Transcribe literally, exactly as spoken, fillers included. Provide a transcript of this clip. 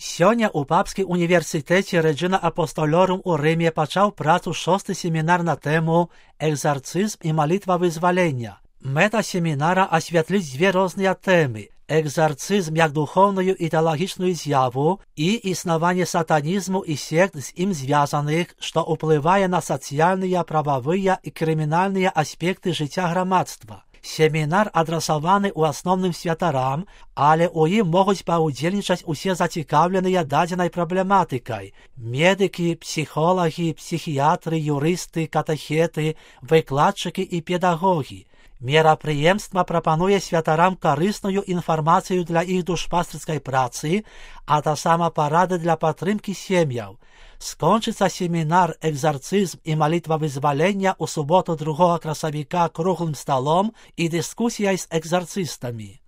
Сёння ў папскім універсітэце Regina Apostolorum у Рыме пачаў працу шосты семінар на тэму «Экзарцызм і малітва вызвалення». Мэта семінара асвятліць дзве розныя тэмы: экзарцызм як духоўную і тэалагічную з'яву і існаванне сатанізму і сект з ім звязаных, што ўплывае на сацыяльныя, прававыя і крымінальныя аспекты жыцця грамадства. Семінар адрасаваны ў асноўным святарам, але ў ім могуць паўдзельнічаць усе зацікаўленыя дадзенай праблематыкай: медыкі, псіхолагі, псіхіятры, юрысты, катэхеты, выкладчыкі і педагогі. Мерапрыемства прапануе святарам карысную інфармацыю для іх душпастырскай працы, а таксама парады для падтрымкі сем'яў. Скончыцца семінар «Экзарцызм і малітва вызвалення» ў суботу другога красавіка круглым сталом і дыскусіяй з экзарцыстамі.